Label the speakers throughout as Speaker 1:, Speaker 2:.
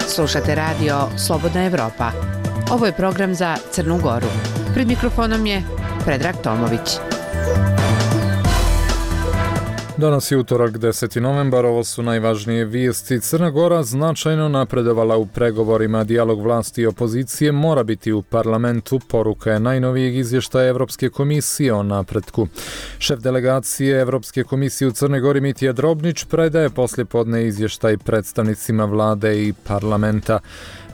Speaker 1: Slušate radio Slobodna Evropa. Ovo je program za Crnu Goru. Pred mikrofonom je Predrag Tomović.
Speaker 2: Danas je utorak 10. novembar, ovo su najvažnije vijesti. Crna Gora značajno napredovala u pregovorima. Dijalog vlasti i opozicije mora biti u parlamentu. Poruka je najnovijeg izvještaja Evropske komisije o napretku. Šef delegacije Evropske komisije u Crnoj Gori Mitja Drobnić predaje poslijepodne izvještaj predstavnicima vlade i parlamenta.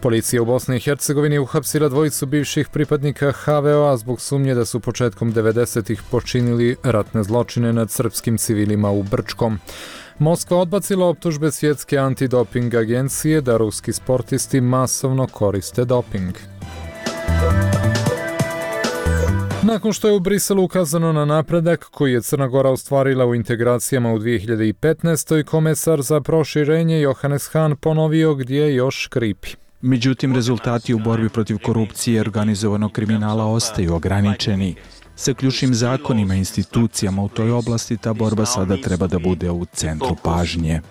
Speaker 2: Policija u Bosni i Hercegovini uhapsila dvojicu bivših pripadnika HVO-a zbog sumnje da su početkom 90-ih počinili ratne zločine nad srpskim civilima u Brčkom. Moskva odbacila optužbe svjetske antidoping agencije da ruski sportisti masovno koriste doping. Nakon što je u Briselu ukazano na napredak koji je Crna Gora ostvarila u integracijama u 2015. komesar za proširenje Johannes Hahn ponovio gdje još škripi.
Speaker 3: Međutim, rezultati u borbi protiv korupcije i organizovanog kriminala ostaju ograničeni. Sa ključnim zakonima i institucijama u toj oblasti ta borba sada treba da bude u centru pažnje.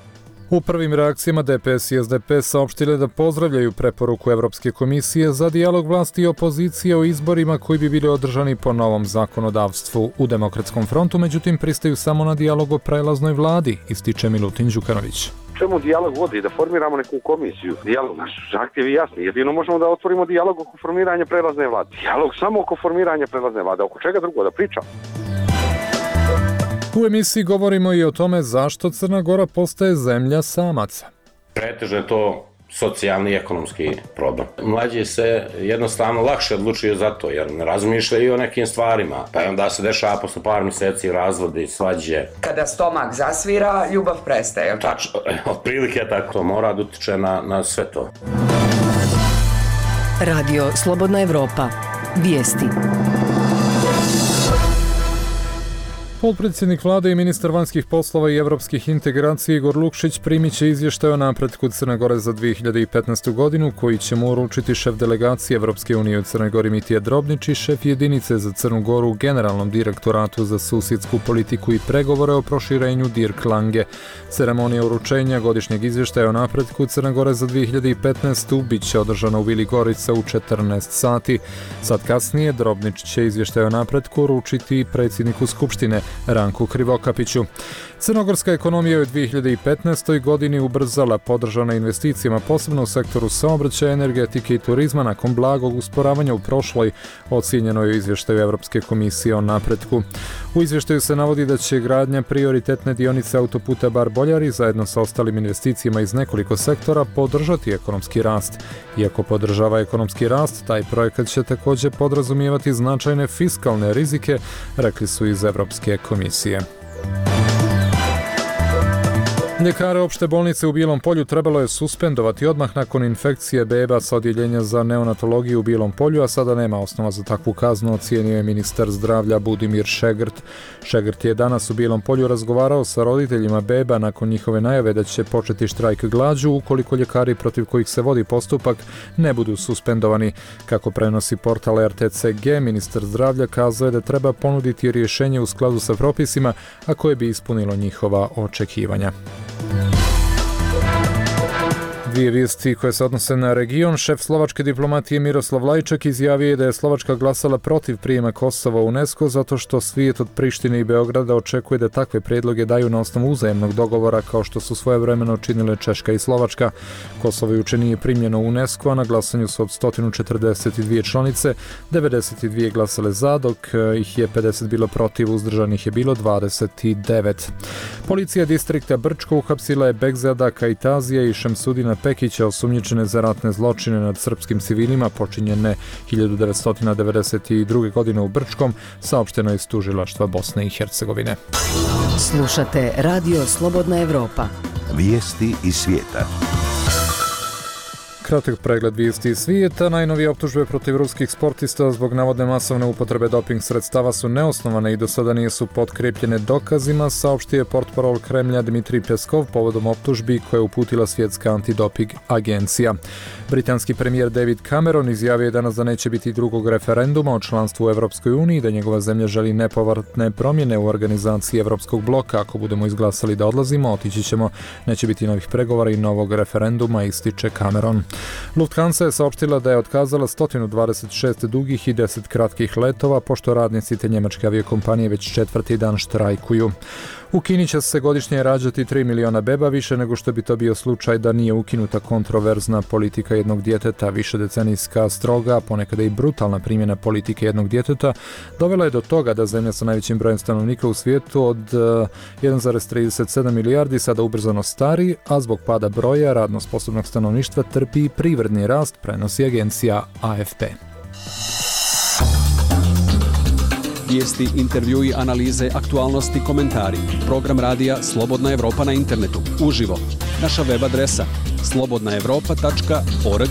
Speaker 2: U prvim reakcijama DPS i SDP saopštile da pozdravljaju preporuku Evropske komisije za dijalog vlasti i opozicije o izborima koji bi bili održani po novom zakonodavstvu. U Demokratskom frontu, međutim, pristaju samo na dijalog o prelaznoj vladi, ističe Milutin Đukanović.
Speaker 4: Čemu dijalog vodi? Da formiramo neku komisiju. Dijalog, naš zahtjev je jasni. Jedino možemo da otvorimo dijalog oko formiranja prelazne vlade. Dijalog samo oko formiranja prelazne vlade. Oko čega drugo da pričam?
Speaker 2: U emisiji govorimo i o tome zašto Crna Gora postaje zemlja samaca.
Speaker 5: Pretežno je to socijalni i ekonomski problem. Mlađi se jednostavno lakše odlučuju za to, jer ne razmišljaju o nekim stvarima. Pa onda se dešava posle par mjeseci razvodi, svađe.
Speaker 6: Kada stomak zasvira, ljubav prestaje.
Speaker 5: Tačno, otprilike tako. To mora da utiče na sve to.
Speaker 7: Radio Slobodna Evropa. Vijesti.
Speaker 2: Potpredsjednik vlade i ministar vanjskih poslova i evropskih integracija Igor Lukšić primit će izvještaj o napretku Crne Gore za 2015. godinu koji će mu uručiti šef delegacije Evropske unije u Crnoj Gori Mitja Drobnić i šef jedinice za Crnu Goru u Generalnom direktoratu za susjedsku politiku i pregovore o proširenju Dirk Lange. Ceremonija uručenja godišnjeg izvještaja o napretku Crne Gore za 2015. bit će održana u Vili Gorica u 14 sati. Sad kasnije Drobnić će izvještaj o napretku uručiti predsjedniku Skupštine Ranku Krivokapiću. Crnogorska ekonomija je u 2015. godini ubrzala, podržana investicijama posebno u sektoru saobraćaja, energetike i turizma nakon blagog usporavanja u prošloj, ocijenjeno je u izvještaju Evropske komisije o napretku. U izvještaju se navodi da će gradnja prioritetne dionice autoputa Bar-Boljari zajedno sa ostalim investicijama iz nekoliko sektora podržati ekonomski rast. Iako podržava ekonomski rast, taj projekat će također podrazumijevati značajne fiskalne rizike, rekli su iz Evropske komisije. Ljekare opšte bolnice u Bijelom Polju trebalo je suspendovati odmah nakon infekcije beba sa odjeljenja za neonatologiju u Bijelom Polju, a sada nema osnova za takvu kaznu, ocijenio je ministar zdravlja Budimir Šegrt. Šegrt je danas u Bijelom Polju razgovarao sa roditeljima beba nakon njihove najave da će početi štrajk glađu ukoliko ljekari protiv kojih se vodi postupak ne budu suspendovani. Kako prenosi portal RTCG, ministar zdravlja kazao je da treba ponuditi rješenje u skladu sa propisima, a koje bi ispunilo njihova očekivanja. Dvije vijesti koje se odnose na region. Šef slovačke diplomatije Miroslav Lajčak izjavio je da je Slovačka glasala protiv prijema Kosova u UNESCO zato što svijet od Prištine i Beograda očekuje da takve prijedloge daju na osnovu uzajemnog dogovora kao što su svojevremeno činile Češka i Slovačka. Kosovo juče nije primljeno u UNESCO, a na glasanju su od 142 članice, 92 glasale za, dok ih je 50 bilo protiv, uzdržanih je bilo 29. Policija distrikta Brčko uhapsila je Begzada Kajtazija i Šemsudina Pekića, osumnjičene za ratne zločine nad srpskim civilima počinjene 1992. godine u Brčkom, saopšteno je iz tužilaštva Bosne i Hercegovine.
Speaker 7: Slušate Radio Slobodna Evropa.
Speaker 8: Vijesti iz svijeta.
Speaker 2: Kratak pregled vijesti svijeta. Najnovije optužbe protiv ruskih sportista zbog navodne masovne upotrebe doping sredstava su neosnovane i do sada nisu potkrepljene dokazima, saopštio je portparol Kremlja Dmitrij Peskov povodom optužbi koje je uputila Svjetska antidoping agencija. Britanski premijer David Cameron izjavio je danas da neće biti drugog referenduma o članstvu u Europskoj uniji, da njegova zemlja želi nepovratne promjene u organizaciji Europskog bloka. Ako budemo izglasali da odlazimo, otići ćemo, neće biti novih pregovora i novog referenduma, ističe Cameron. Lufthansa je saopštila da je otkazala 126 dugih i 10 kratkih letova, pošto radnici te njemačke aviokompanije već četvrti dan štrajkuju. U Kini će se godišnje rađati 3 miliona beba, više nego što bi to bio slučaj da nije ukinuta kontroverzna politika jednog djeteta. Višedecenijska, stroga, ponekada i brutalna primjena politike jednog djeteta dovela je do toga da zemlja sa najvećim brojem stanovnika u svijetu od 1,37 milijardi sada ubrzano stari, a zbog pada broja radno sposobnog stanovništva trpi privredni rast, prenosi agencija AFP.
Speaker 8: Vijesti, intervjui, analize, aktualnosti, komentari. Program radija Slobodna Evropa na internetu. Uživo. Naša web adresa slobodnaevropa.org.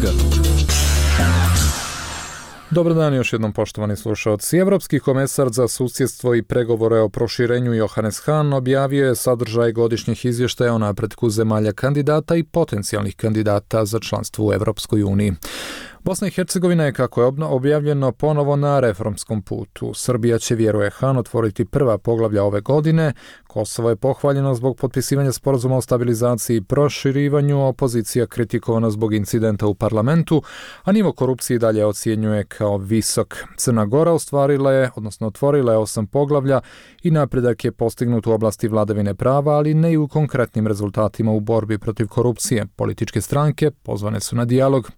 Speaker 2: Dobar dan još jednom, poštovani slušalci. Evropski komesar za susjedstvo i pregovore o proširenju Johannes Hahn objavio je sadržaj godišnjih izvještaja o napretku zemalja kandidata i potencijalnih kandidata za članstvo u Evropskoj uniji. Bosna i Hercegovina je, kako je objavljeno, ponovo na reformskom putu. Srbija će, vjeruje Hahn, otvoriti prva poglavlja ove godine. Kosovo je pohvaljeno zbog potpisivanja sporazuma o stabilizaciji i proširivanju, opozicija kritikovana zbog incidenta u parlamentu, a nivo korupcije dalje ocjenjuje kao visok. Crna Gora otvorila je 8 poglavlja i napredak je postignut u oblasti vladavine prava, ali ne i u konkretnim rezultatima u borbi protiv korupcije. Političke stranke pozvane su na dijalog.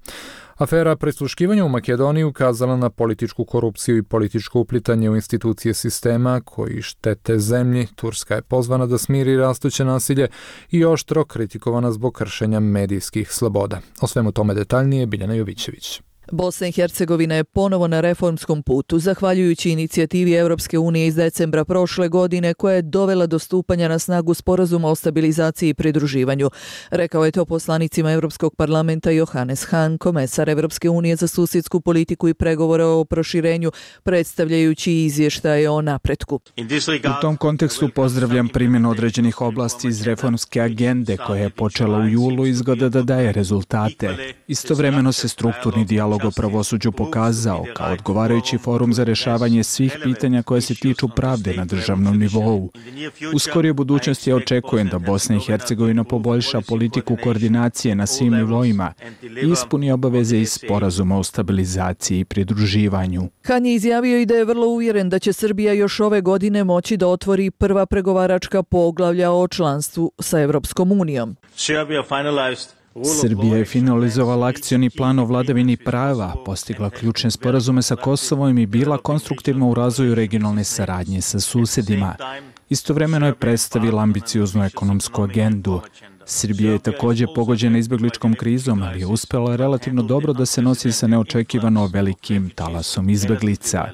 Speaker 2: Afera prisluškivanja u Makedoniji ukazala na političku korupciju i političko uplitanje u institucije sistema koji štete zemlji. Turska je pozvana da smiri rastuće nasilje i oštro kritikovana zbog kršenja medijskih sloboda. O svemu tome detaljnije Biljana Jovićević.
Speaker 9: Bosna i Hercegovina je ponovo na reformskom putu, zahvaljujući inicijativi Europske unije iz decembra prošle godine koja je dovela do stupanja na snagu sporazuma o stabilizaciji i pridruživanju. Rekao je to poslanicima Europskog parlamenta Johannes Hahn, komesar Europske unije za susjedsku politiku i pregovore o proširenju, predstavljajući izvještaje o napretku.
Speaker 3: U tom kontekstu pozdravljam primjenu određenih oblasti iz reformske agende koja je počela u julu i izgleda da daje rezultate. Istovremeno se strukturni dijalog o pravosuđu pokazao kao odgovarajući forum za rješavanje svih pitanja koje se tiču pravde na državnom nivou. U skorijoj budućnosti ja očekujem da Bosna i Hercegovina poboljša politiku koordinacije na svim nivoima i ispuni obaveze iz sporazuma o stabilizaciji i pridruživanju.
Speaker 9: Hahn je izjavio i da je vrlo uvjeren da će Srbija još ove godine moći da otvori prva pregovaračka poglavlja o članstvu sa Evropskom unijom.
Speaker 3: Srbija je finalizovala akcioni plan o vladavini prava, postigla ključne sporazume sa Kosovom i bila konstruktivna u razvoju regionalne saradnje sa susjedima. Istovremeno je predstavila ambicioznu ekonomsku agendu. Srbija je također pogođena izbjegličkom krizom, ali je uspjela relativno dobro da se nosi sa neočekivano velikim talasom izbjeglica.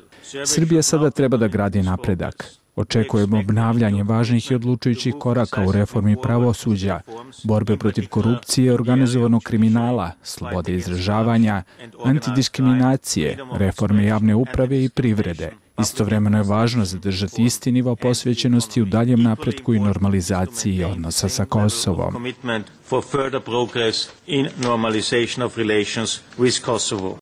Speaker 3: Srbija sada treba da gradi napredak. Očekujemo obnavljanje važnih i odlučujućih koraka u reformi pravosuđa, borbe protiv korupcije, organizovanog kriminala, slobode izražavanja, antidiskriminacije, reforme javne uprave i privrede. Istovremeno je važno zadržati isti nivo posvećenosti u daljem napretku i normalizaciji odnosa sa Kosovom.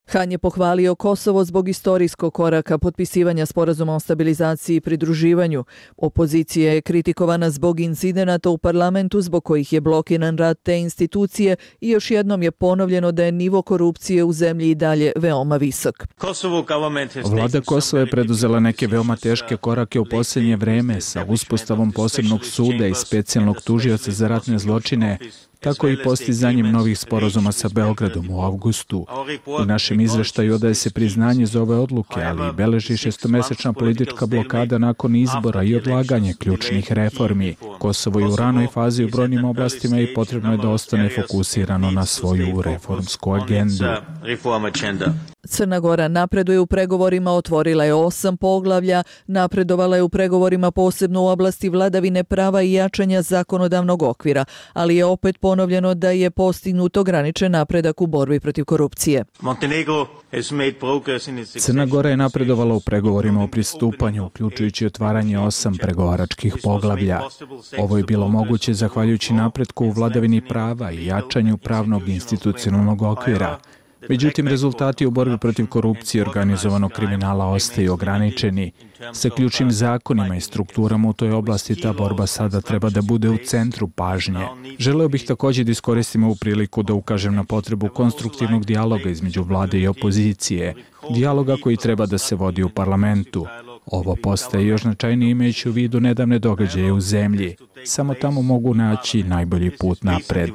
Speaker 9: Hahn je pohvalio Kosovo zbog istorijskog koraka potpisivanja sporazuma o stabilizaciji i pridruživanju. Opozicija je kritikovana zbog incidenata u parlamentu zbog kojih je blokiran rad te institucije i još jednom je ponovljeno da je nivo korupcije u zemlji i dalje veoma visok.
Speaker 3: Vlada Kosova je preduzela neke veoma teške korake u posljednje vreme sa uspostavom posebnog suda i specijalnog tužioca za ratne zločine, tako i postizanjem novih sporazuma sa Beogradom u avgustu. U našem izveštaju odaje se priznanje za ove odluke, ali i beleži šestomesečna politička blokada nakon izbora i odlaganje ključnih reformi. Kosovo je u ranoj fazi u brojnim oblastima i potrebno je da ostane fokusirano na svoju reformsku agendu.
Speaker 9: Crna Gora napreduje u pregovorima, otvorila je 8 poglavlja, napredovala je u pregovorima posebno u oblasti vladavine prava i jačanja zakonodavnog okvira, ali je opet ponovljeno da je postignut ograničen napredak u borbi protiv korupcije.
Speaker 3: Crna Gora je napredovala u pregovorima o pristupanju, uključujući otvaranje 8 pregovaračkih poglavlja. Ovo je bilo moguće zahvaljujući napretku u vladavini prava i jačanju pravnog institucionalnog okvira. Međutim, rezultati u borbi protiv korupcije i organizovanog kriminala ostaju ograničeni. Sa ključnim zakonima i strukturama u toj oblasti ta borba sada treba da bude u centru pažnje. Želeo bih također da iskoristim ovu priliku da ukažem na potrebu konstruktivnog dijaloga između vlade i opozicije, dijaloga koji treba da se vodi u parlamentu. Ovo postaje još značajnije imajući u vidu nedavne događaje u zemlji. Samo tamo mogu naći najbolji put napred.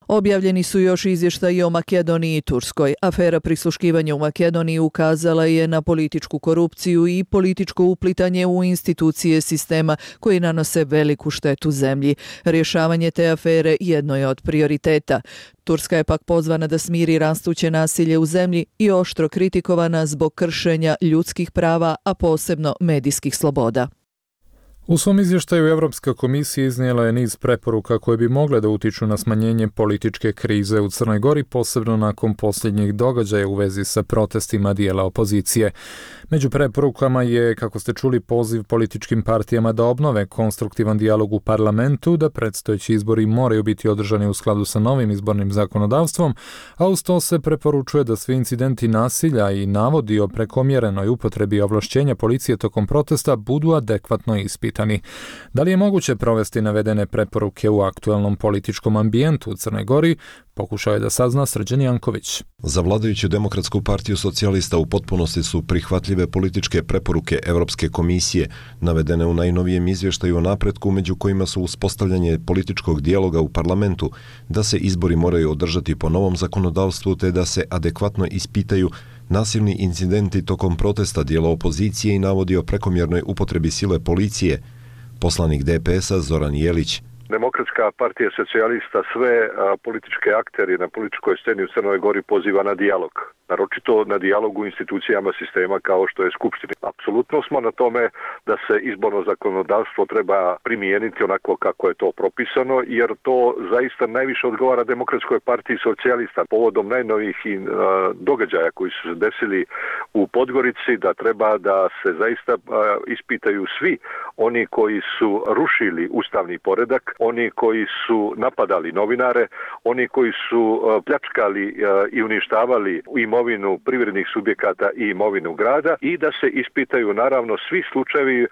Speaker 9: Objavljeni su još izvještaji o Makedoniji i Turskoj. Afera prisluškivanja u Makedoniji ukazala je na političku korupciju i političko uplitanje u institucije sistema koji nanose veliku štetu zemlji. Rješavanje te afere jedno je od prioriteta. Turska je pak pozvana da smiri rastuće nasilje u zemlji i oštro kritikovana zbog kršenja ljudskih prava, a posebno medijskih sloboda.
Speaker 2: U svom izvještaju Europska komisija iznijela je niz preporuka koje bi mogle da utiču na smanjenje političke krize u Crnoj Gori, posebno nakon posljednjih događaja u vezi sa protestima dijela opozicije. Među preporukama je, kako ste čuli, poziv političkim partijama da obnove konstruktivan dijalog u parlamentu, da predstojeći izbori moraju biti održani u skladu sa novim izbornim zakonodavstvom, a uz to se preporučuje da svi incidenti nasilja i navodi o prekomjerenoj upotrebi ovlašćenja policije tokom protesta budu adekvatno ispitani. Da li je moguće provesti navedene preporuke u aktualnom političkom ambijentu u Crnoj Gori, pokušao je da sazna Srđan Janković.
Speaker 10: Za vladajuću Demokratsku partiju socijalista u potpunosti su prihvatljive političke preporuke Europske komisije, navedene u najnovijem izvještaju o napretku, među kojima su uspostavljanje političkog dijaloga u parlamentu, da se izbori moraju održati po novom zakonodavstvu te da se adekvatno ispitaju nasilni incidenti tokom protesta dijela opozicije i navodi o prekomjernoj upotrebi sile policije. Poslanik DPS-a Zoran Jelić.
Speaker 4: Demokratska partija socijalista sve političke aktere na političkoj sceni u Crnoj Gori poziva na dijalog. Naročito na dijalog u institucijama sistema kao što je Skupština. Apsolutno smo na tome da se izborno zakonodavstvo treba primijeniti onako kako je to propisano, jer to zaista najviše odgovara Demokratskoj partiji socijalista povodom najnovijih događaja koji su se desili u Podgorici, da treba da se zaista ispitaju svi oni koji su rušili ustavni poredak, oni koji su napadali novinare, oni koji su pljačkali i uništavali imovinu privrednih subjekata i imovinu grada i da se ispitaju naravno svi slučajevi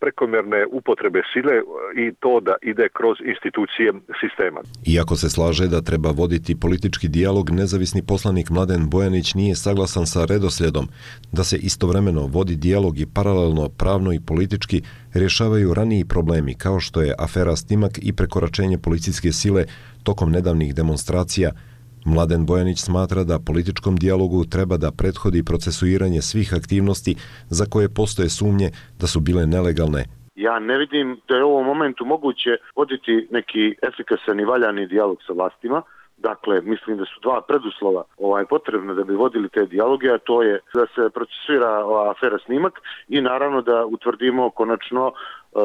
Speaker 4: prekomjerne upotrebe sile i to da ide kroz institucije sistema.
Speaker 10: Iako se slaže da treba voditi politički dijalog, nezavisni poslanik Mladen Bojanić nije saglasan sa redoslijedom da se istovremeno vodi dijalog i paralelno pravno i politički rješavaju raniji problemi kao što je afera Snimak i prekoračenje policijske sile tokom nedavnih demonstracija. Mladen Bojanić smatra da političkom dijalogu treba da prethodi procesuiranje svih aktivnosti za koje postoje sumnje da su bile nelegalne.
Speaker 11: Ja ne vidim da je u ovom momentu moguće voditi neki efikasan i valjani dijalog sa vlastima. Dakle, mislim da su dva preduslova potrebna da bi vodili te dijaloge, a to je da se procesuira ova afera Snimak i naravno da utvrdimo konačno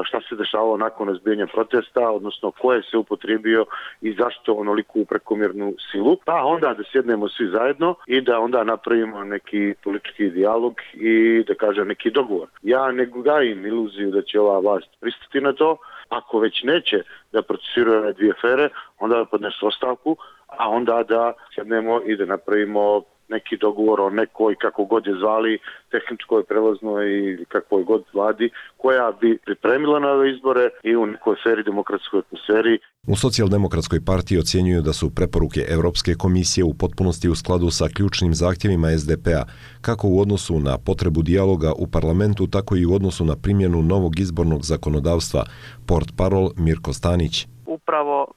Speaker 11: šta se dešavalo nakon razbijanja protesta, odnosno ko je se upotrijebio i zašto onoliku prekomjernu silu. Pa onda da sjednemo svi zajedno i da onda napravimo neki politički dijalog i da kažem neki dogovor. Ja ne gajim iluziju da će ova vlast pristati na to. Ako već neće da procesuiraju ove dvije afere, onda da podnesu ostavku, a onda da sjednemo i da napravimo neki dogovor o nekoj, kako god je zvali, tehničkoj, prelaznoj i kakvoj god vladi, koja bi pripremila na ove izbore i u nekoj sferi, demokratskoj atmosferi.
Speaker 10: U Socijaldemokratskoj partiji ocjenjuju da su preporuke Europske komisije u potpunosti u skladu sa ključnim zahtjevima SDP-a, kako u odnosu na potrebu dijaloga u parlamentu, tako i u odnosu na primjenu novog izbornog zakonodavstva. Portparol Mirko Stanić.
Speaker 12: upravo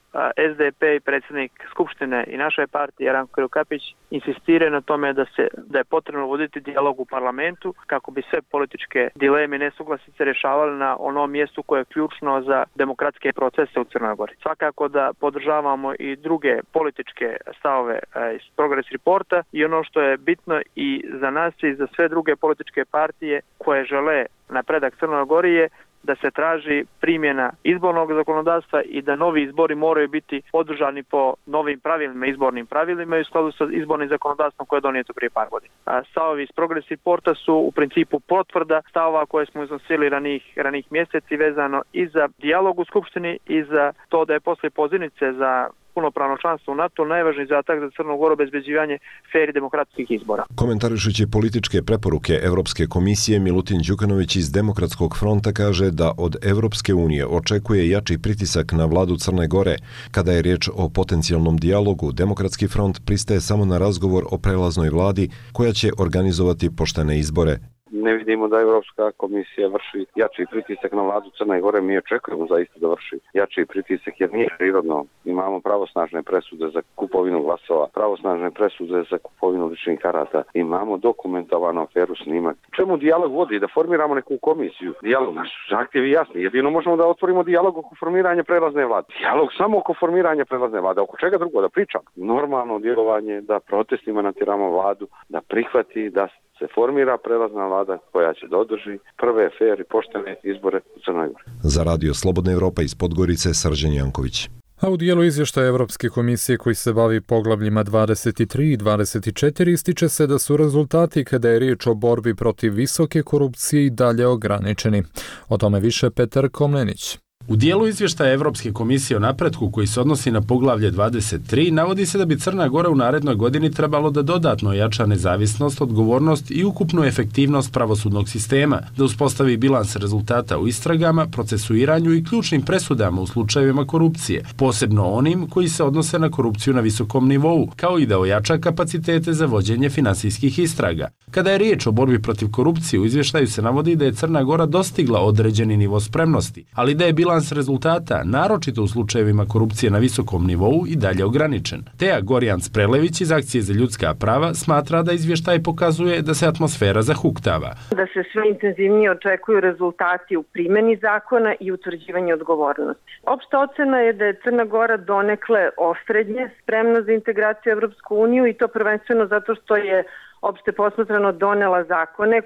Speaker 12: SDP i predsjednik Skupštine i naše partije Ranko Krivokapić insistiraju na tome da je potrebno voditi dijalog u parlamentu kako bi sve političke dileme i nesuglasice rješavali na onom mjestu koje je ključno za demokratske procese u Crnoj Gori. Svakako da podržavamo i druge političke stavove iz Progress Reporta i ono što je bitno i za nas i za sve druge političke partije koje žele napredak Crnoj Gori je da se traži primjena izbornog zakonodavstva i da novi izbori moraju biti održani po novim pravilima, izbornim pravilima i u skladu sa izbornim zakonodavstvom koje je donijeto prije par godina. Stavovi iz Progress Reporta su u principu potvrda stavova koje smo iznosili ranih mjeseci vezano i za dijalog u Skupštini i za to da je poslije pozivnice za punopravno članstvo u NATO najvažniji zadatak za Crnu Goru obezbeđivanje fer i demokratskih izbora.
Speaker 10: Komentarišući političke preporuke Evropske komisije, Milutin Đukanović iz Demokratskog fronta kaže da od Evropske unije očekuje jači pritisak na vladu Crne Gore. Kada je riječ o potencijalnom dijalogu, Demokratski front pristaje samo na razgovor o prelaznoj vladi koja će organizovati poštene izbore.
Speaker 13: Ne vidimo da Evropska komisija vrši jači pritisak na vladu Crne Gore. Mi očekujemo zaista da vrši jači pritisak jer nije prirodno. Imamo pravosnažne presude za kupovinu glasova, pravosnažne presude za kupovinu ličnih karata. Imamo dokumentovanu aferu snimak. Čemu dijalog vodi? Da formiramo neku komisiju. Dijalog, naš zahtjev je jasni. Jedino možemo da otvorimo dijalog oko formiranja prelazne vlade. Dijalog samo oko formiranja prelazne vlade. Oko čega drugo? Da pričam. Normalno djelovanje, da protestima natjeramo vladu, da prihvati, da se formira prelazna vlada koja će da održi prve fer i poštene izbore u Crnoj Gori.
Speaker 10: Za Radio Slobodna Evropa iz Podgorice, Srđan Janković.
Speaker 2: A u dijelu izvještaja Evropske komisije koji se bavi poglavljima 23 i 24 ističe se da su rezultati kada je riječ o borbi protiv visoke korupcije i dalje ograničeni. O tome više Petar Komnenić.
Speaker 14: U dijelu izvještaja Evropske komisije o napretku koji se odnosi na poglavlje 23 navodi se da bi Crna Gora u narednoj godini trebalo da dodatno ojača nezavisnost, odgovornost i ukupnu efektivnost pravosudnog sistema, da uspostavi bilans rezultata u istragama, procesuiranju i ključnim presudama u slučajevima korupcije, posebno onim koji se odnose na korupciju na visokom nivou, kao i da ojača kapacitete za vođenje finansijskih istraga. Kada je riječ o borbi protiv korupcije, u izvještaju se navodi da je Crna Gora dostigla određeni nivo spremnosti, ali da je bilans rezultata, naročito u slučajevima korupcije na visokom nivou, i dalje ograničen. Teja Gorjans-Prelević iz Akcije za ljudska prava smatra da izvještaj pokazuje da se atmosfera zahuktava.
Speaker 15: Da se sve intenzivnije očekuju rezultati u primjeni zakona i utvrđivanju odgovornosti. Opšta ocena je da je Crna Gora donekle osrednje spremna za integraciju u Evropsku uniju i to prvenstveno zato što je opšte posmatrano donela zakone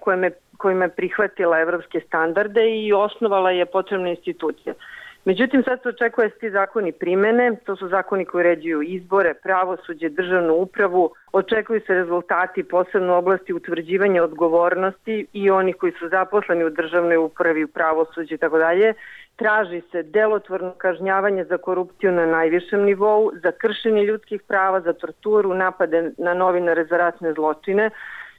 Speaker 15: kojima je prihvatila evropske standarde i osnovala je potrebne institucije. Međutim, sad se očekuje da se ti zakoni primene, to su zakoni koji uređuju izbore, pravosuđe, državnu upravu, očekuju se rezultati posebno u oblasti utvrđivanja odgovornosti i onih koji su zaposleni u državnoj upravi, u pravosuđu i tako dalje. Traži se delotvorno kažnjavanje za korupciju na najvišem nivou, za kršenje ljudskih prava, za torturu, napade na novinare za ratne zločine.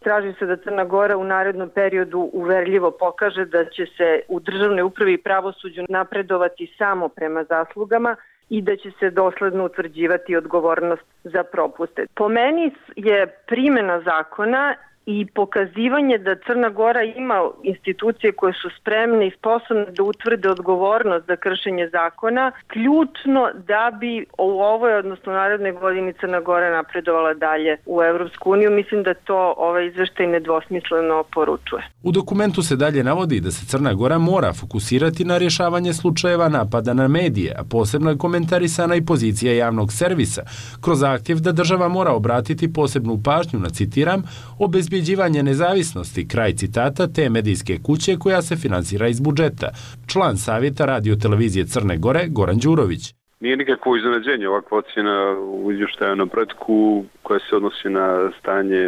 Speaker 15: Traži se da Crna Gora u narednom periodu uverljivo pokaže da će se u državnoj upravi i pravosuđu napredovati samo prema zaslugama i da će se dosledno utvrđivati odgovornost za propuste. Po meni je primjena zakona i pokazivanje da Crna Gora ima institucije koje su spremne i sposobne da utvrde odgovornost za kršenje zakona, ključno da bi u ovoj, odnosno narednoj godini, Crna Gora napredovala dalje u Evropsku uniju. Mislim da to ovaj izveštaj nedvosmisleno poručuje.
Speaker 14: U dokumentu se dalje navodi da se Crna Gora mora fokusirati na rješavanje slučajeva napada na medije, a posebno je komentarisana i pozicija javnog servisa, kroz zahtjev da država mora obratiti posebnu pažnju na, citiram, obezbjeđivanje nezavisnosti, kraj citata, te medijske kuće koja se finansira iz budžeta. Član savjeta Radio televizije Crne Gore, Goran Đurović.
Speaker 16: Nije nikakvo iznenađenje ovakva ocjena u izvještaju o napretku koja se odnosi na stanje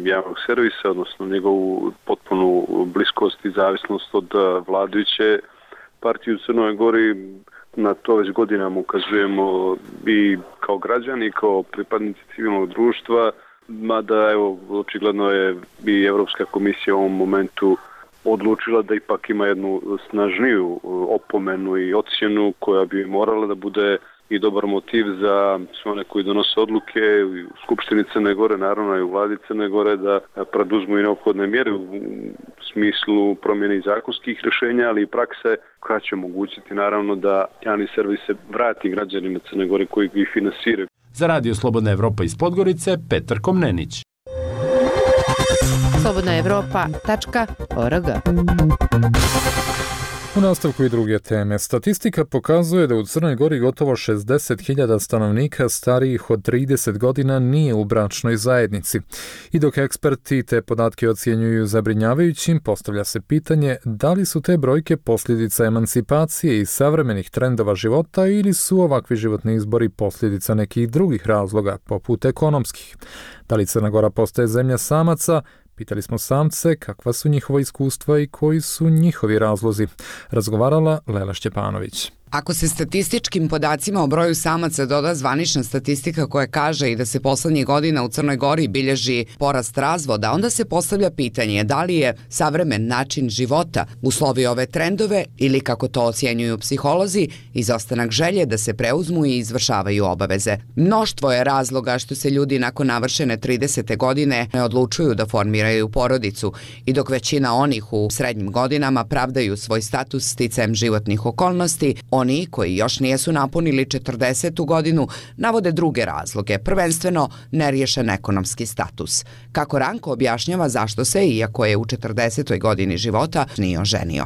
Speaker 16: javnog servisa, odnosno njegovu potpunu bliskost i zavisnost od vladajuće partije u Crnoj Gori. Na to već godinama ukazujemo i kao građani, i kao pripadnici civilnog društva, mada evo, očigledno je i Evropska komisija u ovom momentu odlučila da ipak ima jednu snažniju opomenu i ocjenu koja bi morala da bude i dobar motiv za sve one koji donose odluke u Skupštini Crne Gore, naravno i u vladi Crne Gore, da preduzmu i neophodne mjere u smislu promjene zakonskih rješenja, ali i prakse koja će omogućiti naravno da javni servis se vrati građanima Crne Gore koji ih finansiraju.
Speaker 14: Za Radio Slobodna Evropa iz Podgorice, Petar Komnenić.
Speaker 1: slobodnaevropa.org.
Speaker 2: U nastavku i druge teme. Statistika pokazuje da u Crnoj Gori gotovo 60.000 stanovnika starijih od 30 godina nije u bračnoj zajednici. I dok eksperti te podatke ocjenjuju zabrinjavajućim, postavlja se pitanje da li su te brojke posljedica emancipacije i savremenih trendova života ili su ovakvi životni izbori posljedica nekih drugih razloga, poput ekonomskih. Da li Crna Gora postaje zemlja samaca? Pitali smo samce kakva su njihova iskustva i koji su njihovi razlozi. Razgovarala Lela Šćepanović.
Speaker 17: Ako se statističkim podacima o broju samaca doda zvanična statistika koja kaže i da se poslednjih godina u Crnoj Gori bilježi porast razvoda, onda se postavlja pitanje da li je savremen način života uslovio ove trendove ili, kako to ocjenjuju psiholozi, izostanak želje da se preuzmu i izvršavaju obaveze. Mnoštvo je razloga što se ljudi nakon navršene 30. godine ne odlučuju da formiraju porodicu i dok većina onih u srednjim godinama pravdaju svoj status sticajem životnih okolnosti, oni koji još nijesu napunili 40. godinu navode druge razloge, prvenstveno neriješen ekonomski status. Kako Ranko objašnjava zašto se, iako je u 40. godini života, nije oženio.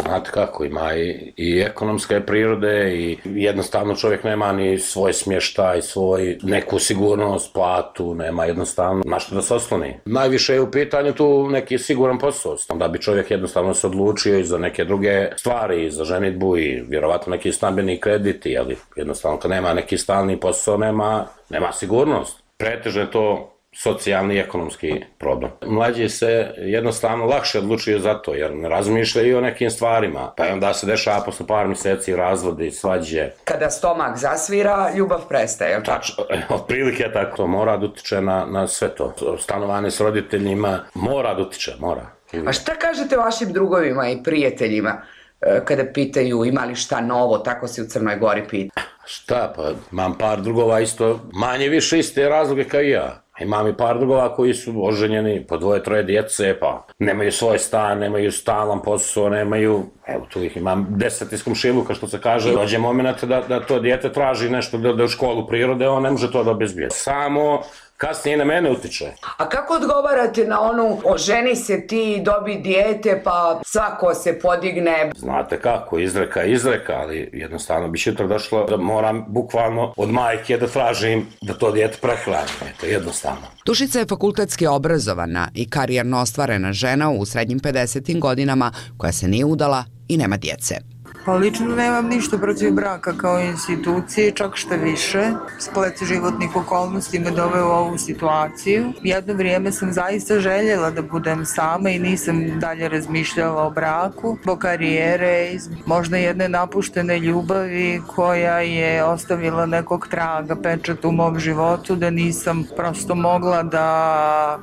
Speaker 5: Znate kako, ima i ekonomske prirode i jednostavno čovjek nema ni svoj smještaj, svoj neku sigurnost, platu, nema jednostavno na što da se osloni. Najviše je u pitanju tu neki siguran posao, da bi čovjek jednostavno se odlučio i za neke druge stvari, za ženidbu i vjerovatno neki stambeni krediti, ali jednostavno kad nema neki stalni posao, nema sigurnost. Pretežno je to socijalni i ekonomski problem. Mlađi se jednostavno lakše odlučuju za to, jer ne razmišljaju o nekim stvarima. Pa onda se dešava posle par mjeseci razvodi, svađe.
Speaker 6: Kada stomak zasvira, ljubav prestaje.
Speaker 5: Tačno, otprilike tako. To mora da utiče na sve to. Stanovanje s roditeljima mora da utiče, mora.
Speaker 6: A šta kažete vašim drugovima i prijateljima kada pitaju ima li šta novo, tako se u Crnoj Gori pita?
Speaker 5: Šta, pa imam par drugova isto, manje više iste razloge kao i ja. Imam i par drugova koji su oženjeni, po 2-3 djece, pa nemaju svoj stan, nemaju stalan posao, nemaju, evo tu ih imam 10 iz komšiluka, što se kaže, dođe moment da to dijete traži nešto da u školu prirode, on ne može to da obezbije. Samo kasnije na mene utiče.
Speaker 6: A kako odgovarate na onu oženi se ti, dobi dijete, pa svako se podigne?
Speaker 5: Znate kako, izreka, ali jednostavno bi sutra došlo da moram bukvalno od majke da tražim da to dijete prehrani. To je jednostavno.
Speaker 17: Dušica je fakultetski obrazovana i karijerno ostvarena žena u srednjim 50. godinama koja se nije udala i nema djece.
Speaker 18: Pa lično nemam ništa protiv braka kao institucije, čak što više. Splet životnih okolnosti me doveo u ovu situaciju. Jedno vrijeme sam zaista željela da budem sama i nisam dalje razmišljala o braku, zbog karijere, možda jedne napuštene ljubavi koja je ostavila nekog traga, pečat u mom životu, da nisam prosto mogla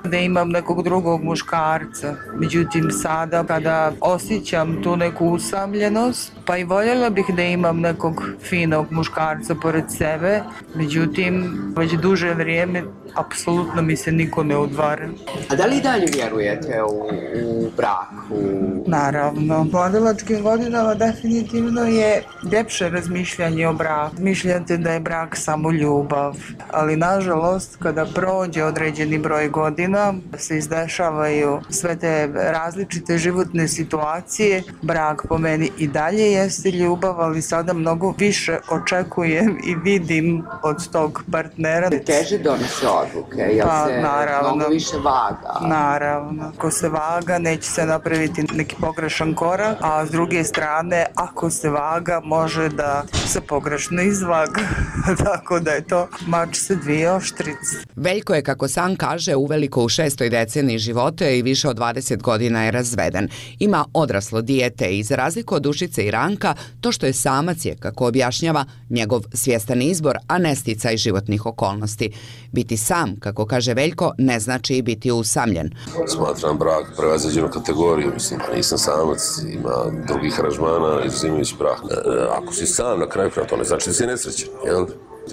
Speaker 18: da imam nekog drugog muškarca. Međutim, sada kada osjećam tu neku usamljenost, pa i voljela bih da imam nekog finog muškarca pored sebe, međutim, već duže vrijeme apsolutno mi se niko ne udvara.
Speaker 6: A da li i dalje vjerujete u brak?
Speaker 18: Naravno. U mladilačkim godinama definitivno je ljepše razmišljanje o braku. Mišljate da je brak samo ljubav, ali nažalost kada prođe određeni broj godina se izdešavaju sve te različite životne situacije. Brak po meni i dalje jeste ljubav, ali sada mnogo više očekujem i vidim od tog partnera.
Speaker 6: Teže donese odluke, jer se mnogo više vaga.
Speaker 18: Naravno. Ako se vaga, neće se napraviti neki pogrešan korak, a s druge strane, ako se vaga, može da se pogrešno izvaga. Tako da je to mač sa dvije oštrice.
Speaker 17: Veljko je, kako sam kaže, uveliko u 6. deceniji života i više od 20 godina je razveden. Ima odraslo dijete i za razliku od Dušice i Ranka, stranka, to što je samac je, kako objašnjava, njegov svjestan izbor, a ne sticaj životnih okolnosti. Biti sam, kako kaže Veljko, ne znači i biti usamljen.
Speaker 19: Smatram brak prevaziđenu kategoriju, mislim, nisam samac, ima drugih aranžmana, izuzimajući brak. Ako si sam na kraju, to ne znači da si nesrećan, jel?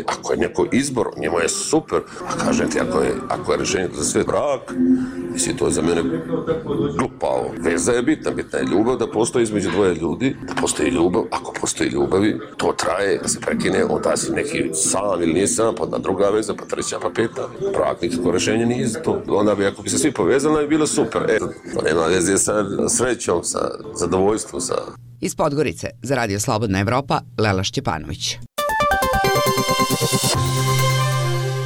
Speaker 19: Ako je neko izbor, njemu je super, a kažem ti, ako je rješenje za sve brak, mislim, to je za mene glupavo. Veza je bitna je ljubav, da postoji između dvoje ljudi, da postoji ljubav, ako postoji ljubavi, to traje, da se prekine, onda si neki sam ili nije sam, pa onda druga veza, pa treća, pa peta. Brak nikako rješenje nije za to. Onda bi, ako bi se svi povezali, bi bilo super. To nema veze sa srećom, sa zadovoljstvom, sa...
Speaker 17: Iz Podgorice, za Radio Slobodna Evropa, Lela Šćepanović.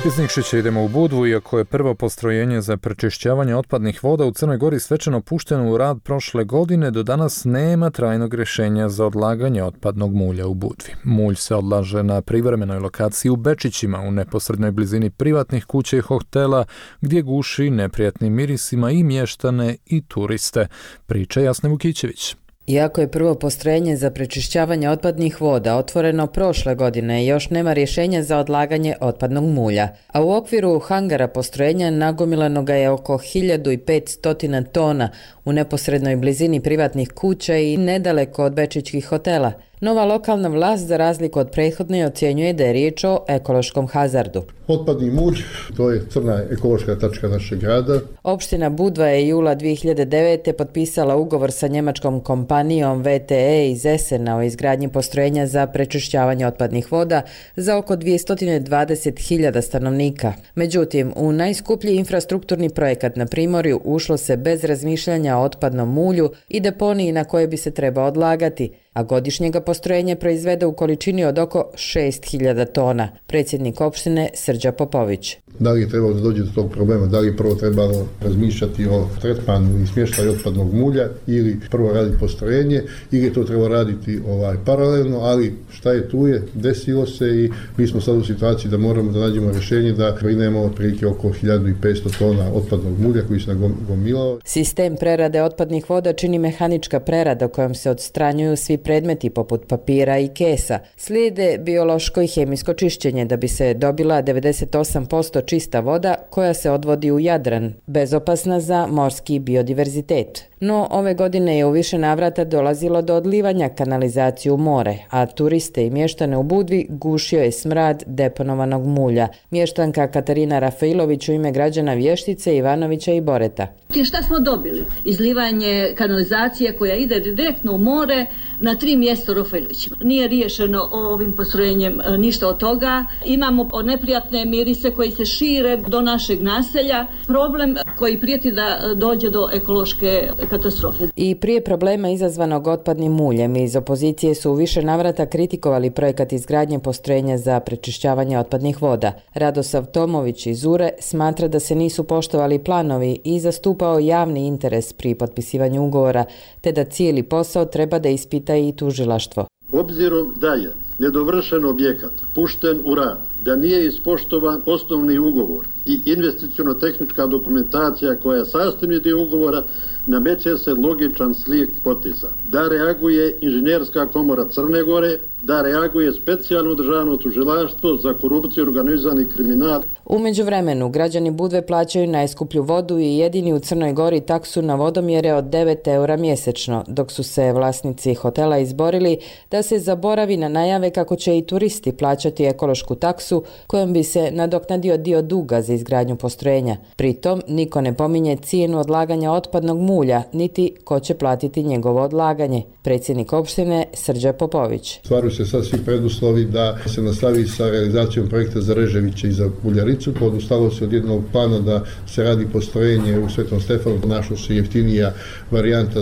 Speaker 2: Iz Nikšića idemo u Budvu, iako je prvo postrojenje za prečišćavanje otpadnih voda u Crnoj Gori svečano pušteno u rad prošle godine, do danas nema trajnog rješenja za odlaganje otpadnog mulja u Budvi. Mulj se odlaže na privremenoj lokaciji u Bečićima, u neposrednoj blizini privatnih kuća i hotela, gdje guši neprijatnim mirisima i mještane i turiste. Priča Jasne Vukićević.
Speaker 20: Iako je prvo postrojenje za prečišćavanje otpadnih voda otvoreno prošle godine, još nema rješenja za odlaganje otpadnog mulja. A u okviru hangara postrojenja nagomilano ga je oko 1500 tona u neposrednoj blizini privatnih kuća i nedaleko od bečićkih hotela. Nova lokalna vlast, za razliku od prethodne, ocjenjuje da je riječ o ekološkom hazardu.
Speaker 21: Otpadni mulj, to je crna ekološka tačka našeg grada.
Speaker 20: Opština Budva je jula 2009. potpisala ugovor sa njemačkom kompanijom VTE iz Essena o izgradnji postrojenja za prečišćavanje otpadnih voda za oko 220.000 stanovnika. Međutim, u najskuplji infrastrukturni projekat na Primorju ušlo se bez razmišljanja o otpadnom mulju i deponiji na koje bi se trebao odlagati, a godišnjega postrojenje proizvede u količini od oko 6.000 tona. Predsjednik opštine Srđa Popović.
Speaker 21: Da li je trebalo da dođe do tog problema, da li je prvo trebalo razmišljati o tretmanu i smještaju otpadnog mulja ili prvo raditi postrojenje ili je to trebalo raditi paralelno, ali šta je tu je, desilo se i mi smo sad u situaciji da moramo da nađemo rješenje da brinemo otprilike oko 1500 tona otpadnog mulja koji se nagomilao.
Speaker 20: Sistem prerade otpadnih voda čini mehanička prerada kojom se odstranjuju svi predmeti poput papira i kesa. Slijede biološko i hemijsko čišćenje da bi se dobila 98% čista voda koja se odvodi u Jadran, bezopasna za morski biodiverzitet. No, ove godine je u više navrata dolazilo do odlivanja kanalizacije u more, a turiste i mještane u Budvi gušio je smrad deponovanog mulja. Mještanka Katarina Rafailović u ime građana Vještice, Ivanovića i Boreta.
Speaker 22: Šta smo dobili? Izlivanje kanalizacije koja ide direktno u more na 3 mjesta u Rafailovićima. Nije riješeno ovim postrojenjem ništa od toga. Imamo neprijatne mirise koji se šire do našeg naselja. Problem koji prijeti da dođe do ekološke katastrofe.
Speaker 20: I prije problema izazvanog otpadnim muljem iz opozicije su u više navrata kritikovali projekat izgradnje postrojenja za prečišćavanje otpadnih voda. Radosav Tomović iz Ure smatra da se nisu poštovali planovi i zastupao javni interes pri potpisivanju ugovora, te da cijeli posao treba da ispita i tužilaštvo.
Speaker 23: Obzirom da je nedovršen objekat pušten u rad, da nije ispoštovan osnovni ugovor i investiciono-tehnička dokumentacija koja je sastavni dio ugovora, nameće se logičan slijed poteza. Da reaguje Inženjerska komora Crne Gore, da reaguje specijalno državno tužilaštvo za korupciju i organizirani kriminal.
Speaker 20: U međuvremenu, građani Budve plaćaju najskuplju vodu i jedini u Crnoj Gori taksu na vodomjere od 9 eura mjesečno, dok su se vlasnici hotela izborili da se zaboravi na najave kako će i turisti plaćati ekološku taksu kojom bi se nadoknadio dio duga za izgradnju postrojenja. Pritom, niko ne pominje cijenu odlaganja otpadnog mulja, niti ko će platiti njegovo odlaganje. Predsjednik opštine Srđa Popović.
Speaker 21: Stvaraju se sad svi preduslovi da se nastavi sa realizacijom projekta za Reževiće i za Buljaricu. Odustalo se od jednog plana da se radi postrojenje u Svetom Stefanu, našla se jeftinija varijanta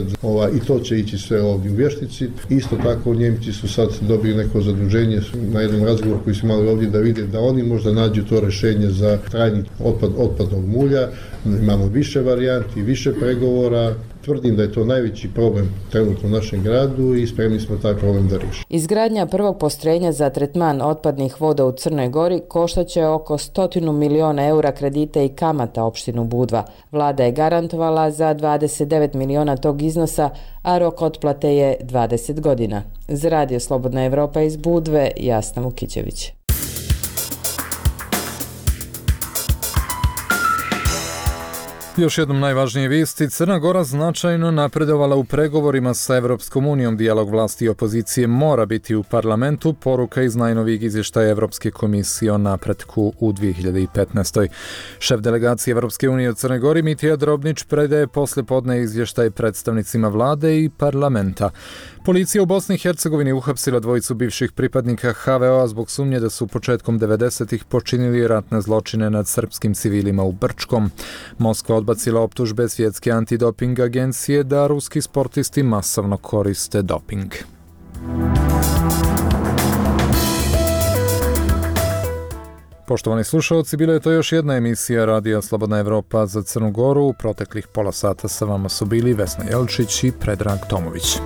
Speaker 21: i to će ići sve ovdje u Vještici. Isto tako Njemci su sad dobili neko zaduženje na jednom razgovoru koji su imali ovdje da vide da oni možda nađu to rješenje za trajni otpadnog mulja. Imamo više varijanti, više pregovora. Tvrdim da je to najveći problem trenutno u našem gradu i spremni smo taj problem da riješimo.
Speaker 20: Izgradnja prvog postrojenja za tretman otpadnih voda u Crnoj Gori koštaće oko 100 miliona eura kredita i kamata opštinu Budva. Vlada je garantovala za 29 miliona tog iznosa, a rok otplate je 20 godina. Za Radio Slobodna Evropa iz Budve, Jasna Vukićević.
Speaker 2: Još jednom najvažnije vijesti, Crna Gora značajno napredovala u pregovorima sa Evropskom unijom. Dijalog vlasti i opozicije mora biti u parlamentu, poruka iz najnovijeg izvještaja Evropske komisije o napretku u 2015. Šef delegacije Evropske unije u Crnoj Gori Mitija Drobnić predaje poslijepodne izvještaj predstavnicima vlade i parlamenta. Policija u Bosni i Hercegovini uhapsila dvojicu bivših pripadnika HVO-a zbog sumnje da su početkom 90-ih počinili ratne zločine nad srpskim civilima u Brčkom. Moskva odbacila optužbe Svjetske antidoping agencije da ruski sportisti masovno koriste doping. Poštovani slušalci, bila je to još jedna emisija Radija Slobodna Evropa za Crnu Goru. U proteklih pola sata sa vama su bili Vesna Jelčić i Predrag Tomović.